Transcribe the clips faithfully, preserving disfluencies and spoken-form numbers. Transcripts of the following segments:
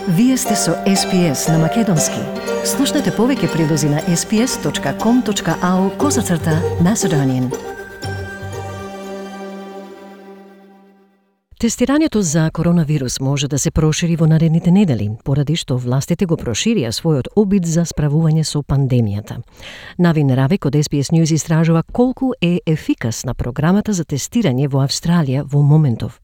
Вие сте со Ес Пи Ес на Македонски. Слушнете повеќе прилози на ес пи ес точка ком точка ау козацрта Macedonian. Тестирањето за коронавирус може да се прошири во наредните недели, поради што властите го проширија својот обид за справување со пандемијата. Навин Равек од Ес Пи Ес News истражува колку е ефикасна програмата за тестирање во Австралија во моментов.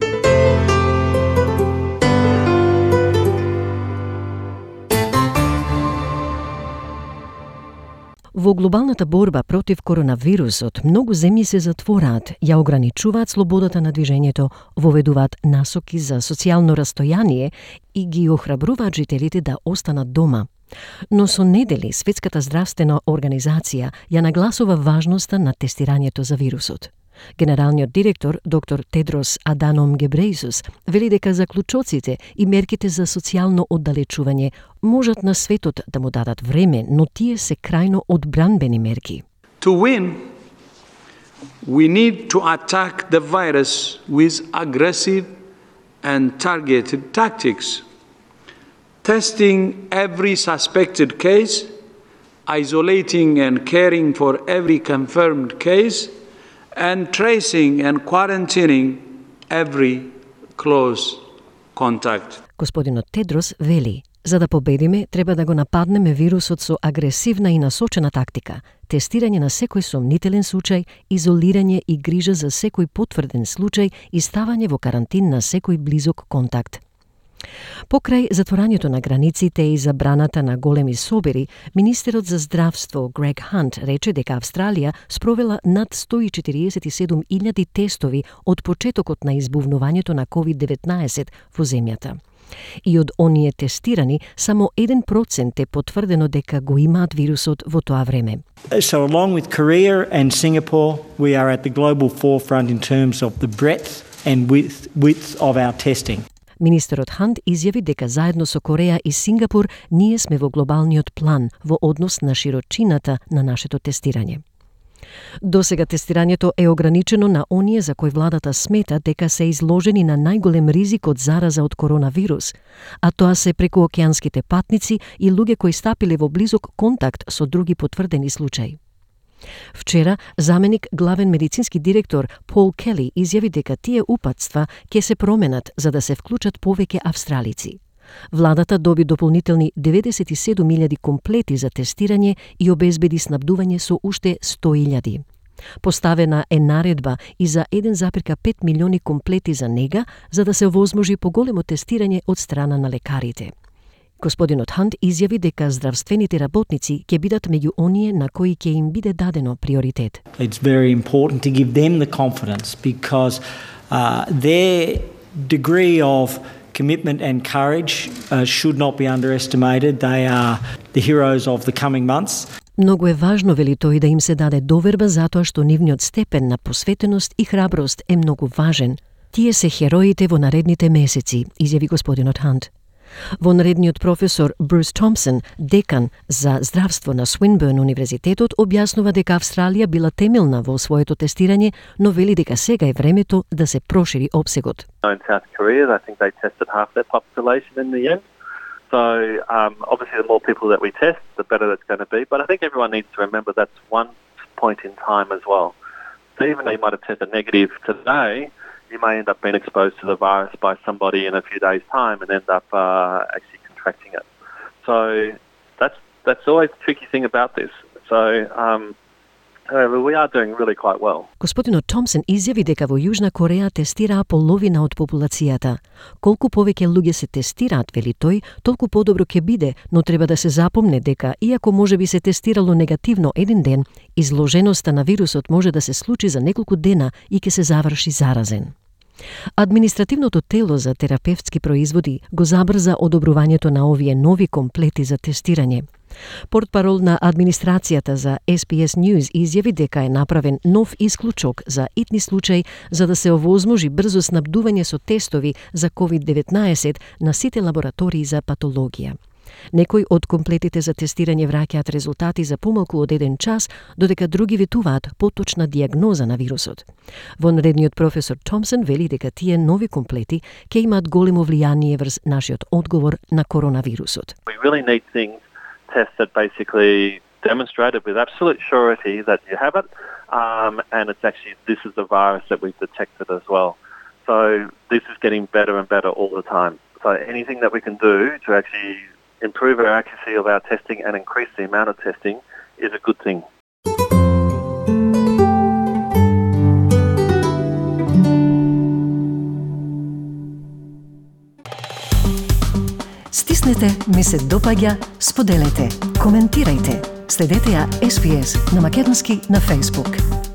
Во глобалната борба против коронавирусот, многу земји се затвораат, ја ограничуваат слободата на движењето, воведуваат насоки за социјално растојание и ги охрабруваат жителите да останат дома. Но со недели Светската здравствена организација ја нагласува важноста на тестирањето за вирусот. Генералниот директор, доктор Тедрос Аданом Гебрејсус, вели дека заклучоците и мерките за социјално оддалечување можат на светот да му дадат време, но тие се крајно одбранбени мерки. To win, we need to attack the virus with aggressive and targeted tactics. Testing every suspected case, isolating and caring for every confirmed case, and tracing and quarantining every close contact. Господинот Тедрос вели, за да победиме, треба да го нападнеме вирусот со агресивна и насочена тактика, тестирање на секој сомнителен случај, изолирање и грижа за секој потврден случај и ставање во карантин на секој близок контакт. Покрај затворањето на границите и забраната на големи собери, министерот за здравство Грег Хант рече дека Австралија спровела над сто и четириесет и седум илјади тестови од почетокот на избувнувањето на ковид деветнаесет во земјата. И од оние тестирани, само еден процент е потврдено дека го имаат вирусот во тоа време. So along with Korea and Singapore, we are at the global forefront in terms of the breadth and width, width of our testing. Министерот Хант изјави дека заедно со Кореја и Сингапур ние сме во глобалниот план во однос на широчината на нашето тестирање. Досега тестирањето е ограничено на оние за кои владата смета дека се изложени на најголем ризик од зараза од коронавирус, а тоа се прекуокеанските патници и луѓе кои стапиле во близок контакт со други потврдени случаи. Вчера, заменик главен медицински директор Пол Кели изјави дека тие упатства ќе се променат за да се вклучат повеќе австралици. Владата доби дополнителни деветдесет и седум илјади комплети за тестирање и обезбеди снабдување со уште сто илјади. Поставена е наредба и за еден зарез пет милиони комплети за нега, за да се овозможи поголемо тестирање од страна на лекарите. Господинот Хант изјави дека здравствените работници ќе бидат меѓу оние на кои ќе им биде дадено приоритет. It's very important to give them the confidence because uh, their degree of commitment and courage uh, should not be underestimated. They are the heroes of the coming months. Многу е важно, вели тој, да им се даде доверба затоа што нивниот степен на посветеност и храброст е многу важен. Тие се хероите во наредните месеци, изјави господинот Хант. Во наредниот професор Брус Томпсон, декан за здравство на Свинберн универзитетот, објаснува дека Австралија била темелна во своето тестирање, но вели дека сега е времето да се прошири опсегот. In South Korea, I think they tested half their population in the end. So um, obviously the more people that we test, the better that's going to be. But I think everyone needs to remember that's one point in time as well. So even though you might have tested negative today, you may end up being exposed to the virus by somebody in a few days' time and end up uh, actually contracting it. So that's that's always the tricky thing about this. So um, however, we are doing really quite well. Господинот Томпсон изјави дека во Јужна Кореја тестираа половина од популацијата. Колку повеќе луѓе се тестираат, вели тој, толку подобро ќе биде, но треба да се запомне дека, иако може би се тестирало негативно еден ден, изложеноста на вирусот може да се случи за неколку дена и ќе се заврши заразен. Административното тело за терапевтски производи го забрза одобрувањето на овие нови комплети за тестирање. Портпарол на администрацијата за Ес Пи Ес News изјави дека е направен нов исклучок за итни случај за да се овозможи брзо снабдување со тестови за ковид деветнаесет на сите лаборатории за патологија. Некои од комплетите за тестирање враќаат резултати за помалку од еден час, додека други ветуваат поточна диагноза на вирусот. Вонредниот професор Томсон вели дека тие нови комплети ќе имаат големо влијание врз нашиот одговор на коронавирусот. We really need things, tests that basically demonstrated with absolute surety that you have it, um, and it's actually, this is the virus that we've detected as well. So this is getting better and better all the time. So anything that we can do to actually improve our accuracy of our testing and increase the amount of testing is a good thing. Стиснете, ми се допаѓа, споделете, коментирајте. Следете ја Ес Би Ес на македонски на Facebook.